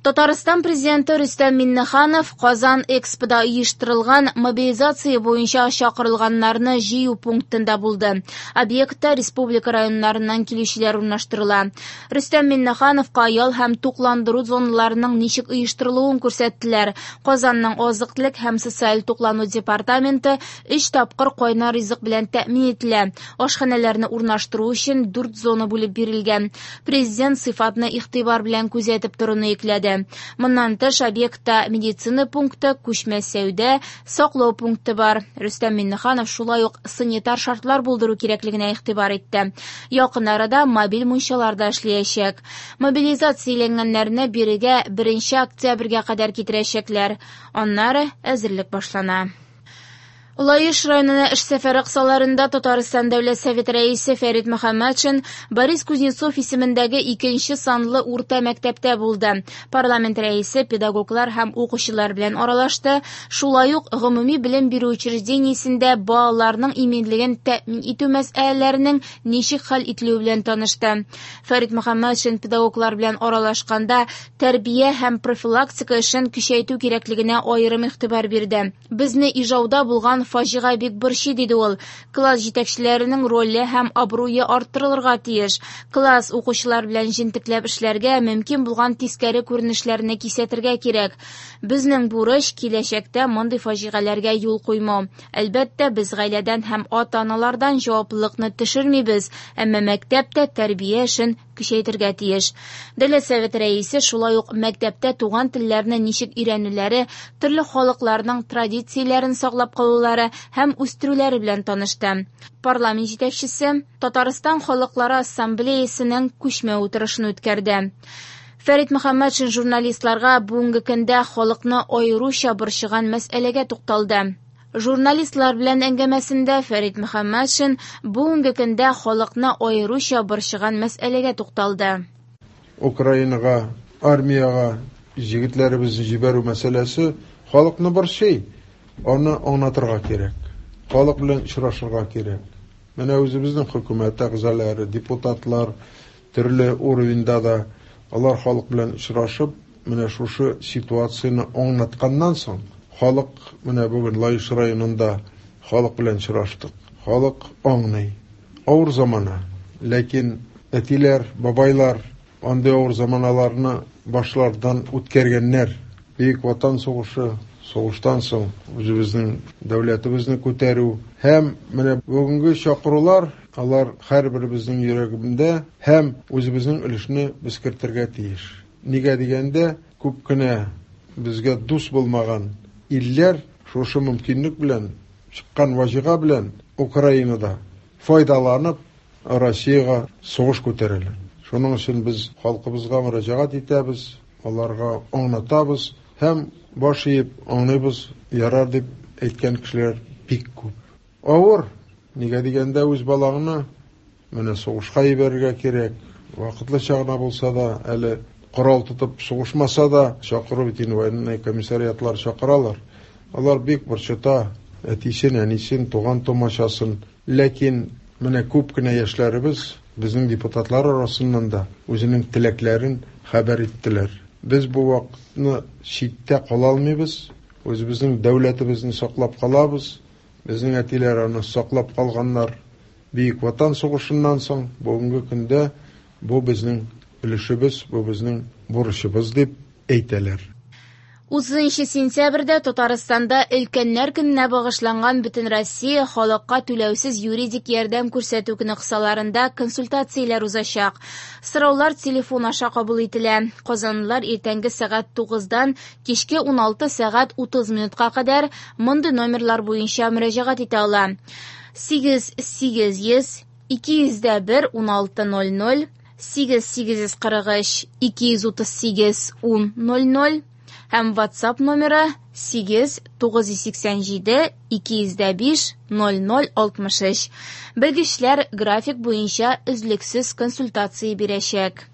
Татарстан Президенты Рөстәм Миңнеханов Казан Экспода оештырылган мобилизация буенча чакырылганнарны җыю пунктында булды. Объектта республика районнарыннан килүчеләр урнаштырыла. Рөстәм Миңнехановка ял һәм тукландыру зоналарының ничек оештырылуын күрсәттеләр. Казанның азык-төлек һәм социаль туклану департаменты өч тапкыр кайнар ризык белән тәэмин ителә. Ашханәләрне урнаштыру өчен дүрт зона бүлеп бирелгән. Президент сыйфатны игътибар белән күзәтеп торуны йөкләде. Моннан тыш, объектта медицина пункты, күчмә сәүдә, саклау пункты бар. Рөстәм Миңнеханов шулай ук санитар шартлар булдыру кирәклегенә игътибар итте. Якын арада мобиль мунчалар да эшләячәк. Мобилизацияләнгәннәрне бирегә 1 октябрьгә кадәр китерәчәкләр. Аннары әзерлек башлана. Лаеш районына эш сәфәре кысаларында Татарстан Дәүләт Советы рәисе Фәрит Мөхәммәтшин Борис Кузнецов исемендәге икенче санлы урта мәктәптә булды. Парламент рәисе педагоглар һәм укучылар белән аралашты. Шулай ук гомуми белем бирү учреждениесендә балаларның иминлеген тәэмин итү мәсьәләләренең ничек хәл ителүе белән танышты. Фәрит Мөхәммәтшин педагоглар белән аралашканда тәрбия һәм профилактика эшен көчәйтү кирәклегенә аерым игътибар бирде. Безне Ижауда булган фаҗига бик борчый, диде ул. Класс җитәкчеләренең роле һәм абруе арттырылырга тиеш. Класс укучылар белән җентекләп эшләргә, мөмкин булган тискәре күренешләрне кисәтергә кирәк. Безнең бурыч киләчәктә мондый фаҗигаләргә юл куймау. Әлбәттә, без гаиләдән һәм ата-аналардан җаваплылыкны төшермибез, әмма мәктәп тә тәрбия эшен көчәйтергә тиеш. Дәүләт Советы рәисе шулай ук мәктәптә туган телләрне ничек өйрәнүләре, төрле халыкларның традицияләрен саклап калулары һәм үстерүләре белән танышты. Парламент җитәкчесе Татарстан халыклары ассамблеясының күчмә утырышын үткәрде. Фәрит Мөхәммәтшин журналистларга бүгенге көндә халыкны аеруча борчыган мәсьәләгә тукталды. Журналистлар белән әңгәмәсендә Фәрит Мөхәммәтшин бүгенге көндә халыкны аеруча борчыган мәсьәләгә тукталды. Украинага, армиягә җегетләребезне җибәрү мәсьәләсе халыкны борчый. Аны аңлатырга кирәк. Халык белән очрашырга кирәк. Менә үзебезнең хөкүмәт әгъзалары, депутатлар төрле уровеньда да алар халык белән очрашып, менә шушы ситуацияне аңлатканнан соң, халык менә бүген Лаеш районында халык белән очраштык. Халык аңлый. Авыр замана. Ләкин әтиләр, бабайлар андый авыр заманаларны башлардан үткәргәннәр. Бөек Ватан сугышы, сугыштан соң үзебезнең дәүләтебезне күтәрү һәм менә бүгенге чакырулар, алар һәрберебезнең йөрәгендә һәм үзебезнең өлешне без кертергә тиеш. Нигә дигәндә, күп кенә безгә дус булмаган илләр шушы мөмкинлек белән, чыккан ваҗига белән Украинада файдаланып Россиягә сугыш күтәрәләр. Шуның өчен без халкыбызга мөрәҗәгать итәбез, аларга аңлатабыз һәм баш иеп аңлыйбыз, ярар дип әйткән кешеләр бик күп. Авыр, нигә дигәндә үз балаңны менә сугышка җибәрергә кирәк, вакытлыча гына булса да, әле корал тотып сугышмаса да, чакыру бит инде военный комиссариатлар чакыралар. Алар бик борчыта әтисен, әнисен, туган тумачасын. Ләкин менә күп кенә яшьләребез безнең депутатлар арасыннан да үзенең теләкләрен хәбәр иттеләр. Без бу вакытны читтә кала алмыйбыз, үзебезнең дәүләтебезне саклап калабыз. Безнең әтиләр аны саклап калганнар. Бөек Ватан сугышыннан соң бүгенге көндә бу безнең өлешебез, бу безнең бурычыбыз дип әйтәләр. 30 сентябрьдә Татарстанда Өлкәннәр көненә багышланган Бөтенроссия халыкка түләүсез юридик ярдәм күрсәтү көне кысаларында консультацияләр узачак. Сораулар телефон аша кабул ителә. Казанлылар иртәнге сәгать 9-дан кичке 16 сәгать 30 минутка кадәр мондый номерлар буенча мөрәҗәгать итә ала. 8 800 201 16 00 8 843 238 10 00 һәм WhatsApp номеры 8 987 205 00 63. Белгечләр график буенча өзлексез консультация бирәчәк.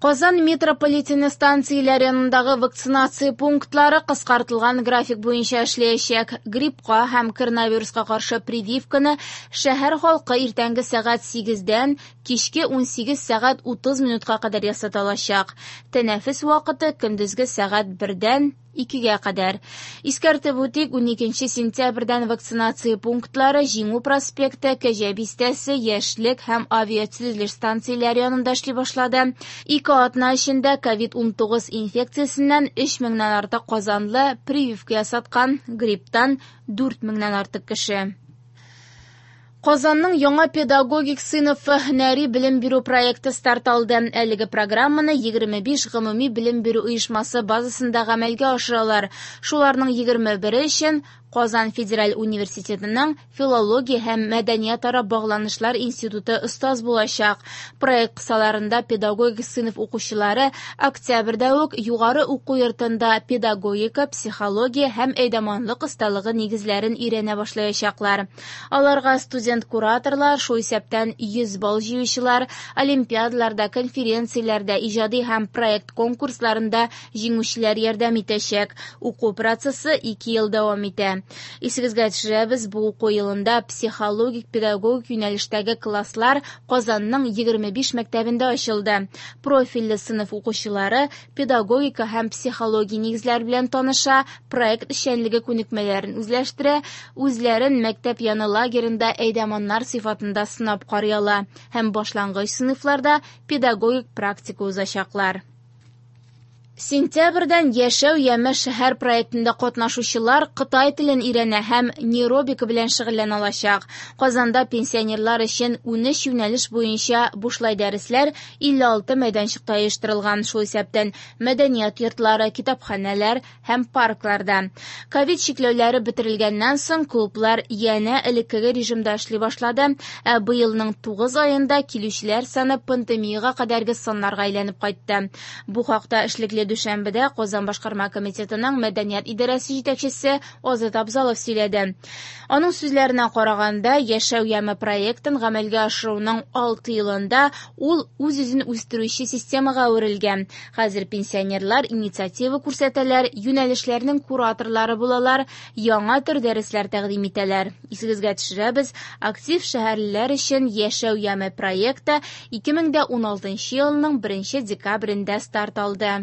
Казан метрополитены станцияләре янындагы вакцинация пунктлары кыскартылган график буенча эшләячәк. Гриппка һәм коронавируска каршы прививканы шәһәр халкы иртәнге сәгать 8-дән кичке 18 сәгать 30 минутка кадәр ясата алачак. Тәнәфес вакыты көндезге сәгать 1-дән 2-гә кадәр. Искәртеп үтик, 12 сентябрьдән вакцинация пунктлары Җиңү проспекты, Кәҗә бистәсе, Яшьлек һәм авиатөзелеш станцияләре янында эшли башлады. Ике атна эчендә COVID-19 инфекциясеннән 3 меңнән артык казанлы прививка ясаткан, грипптан 4 меңнән артык кеше. Казанның яңа педагогик сыйныфы һөнәри белем бирү проекты старт алды. Әлеге программаны 25 гомуми белем бирү оешмасы базасында гамәлгә ашыралар. Шуларның 21-е өчен Казан федераль университетының филология һәм мәдәниятара багланышлар институты остаз булачак. Проект кысаларында педагогик сыйныф укучылары октябрьдә үк югары уку йортында педагогика, психология һәм әйдаманлык осталыгы нигезләрен өйрәнә башлаячаклар. Аларга студент-кураторлар, шул исәптән 100 балл җыючылар, олимпиадаларда, конференцияләрдә, иҗади һәм проект конкурсларында җиңүчеләр ярдәм итәчәк. Уку процессы 2 ел дәвам итә. Исегезгә төшерәбез, бу уку елында психологик педагогик юнәлештәге класслар Казанның 25 мәктәбендә ачылды. Профильле сыйныф укучылары педагогика һәм психология нигезләре белән таныша, проект эшчәнлеге күнекмәләрен үзләштерә, үзләрен мәктәп яны лагерында әйдаманнар сыйфатында сынап карый ала һәм башлангыч сыйныфларда педагогик практика узачаклар. Сентябрьдән Яшәү яме шәһәр проектында катнашучылар Кытай телен өйрәнә һәм нейробика белән шөгыльләнә алачак. Казанда пенсионерлар өчен 13 юнәлеш буенча бушлай дәресләр 56 мәйданчыкта оештырылган, шул исәптән мәдәният йортлары, китапханәләр һәм паркларда. Ковид чикләүләре бетерелгәннән соң клублар янә элеккеге режимда эшли башлады, ә быелның 9 аенда килүчеләр саны пандемиягә кадәрге саннарга әйләнеп кайтты. Бу хакта эшлекле дүшәмбедә Казан башкарма комитетының мәдәният идарәсе җитәкчесе Азат Абзалов сөйләде. Аның сүзләренә караганда, Яшәү яме проектын гамәлгә ашыруның 6 елында ул үз-үзен үстерүче системага әверелгән. Хәзер пенсионерлар инициатива күрсәтәләр, юнәлешләрнең кураторлары булалар, яңа төр дәресләр тәкъдим итәләр. Исегезгә төшерәбез, актив шәһәрлеләр өчен Яшәү яме проекты 2016 елның 1 декабрендә старт алды.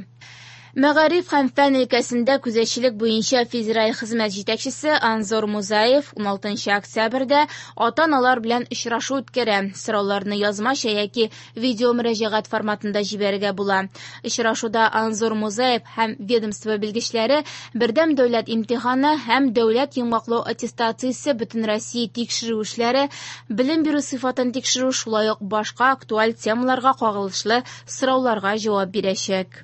Мәгариф һәм фән өлкәсендә күзәтчелек буенча федераль хезмәт җитәкчесе Анзор Музаев 16 октябрьдә ата-аналар белән очрашу үткәрә. Сорауларны язмача яки видео мөрәҗәгать форматында җибәрергә була. Очрашуда Анзор Музаев һәм ведомство белгечләре бердәм дәүләт имтиханы һәм дәүләт йомгаклау аттестациясе бөтенроссия тикшерү эшләре, белем бирү сыйфатын тикшерү, шулай ук башка актуаль темаларга кагылышлы сорауларга җавап бирәчәк.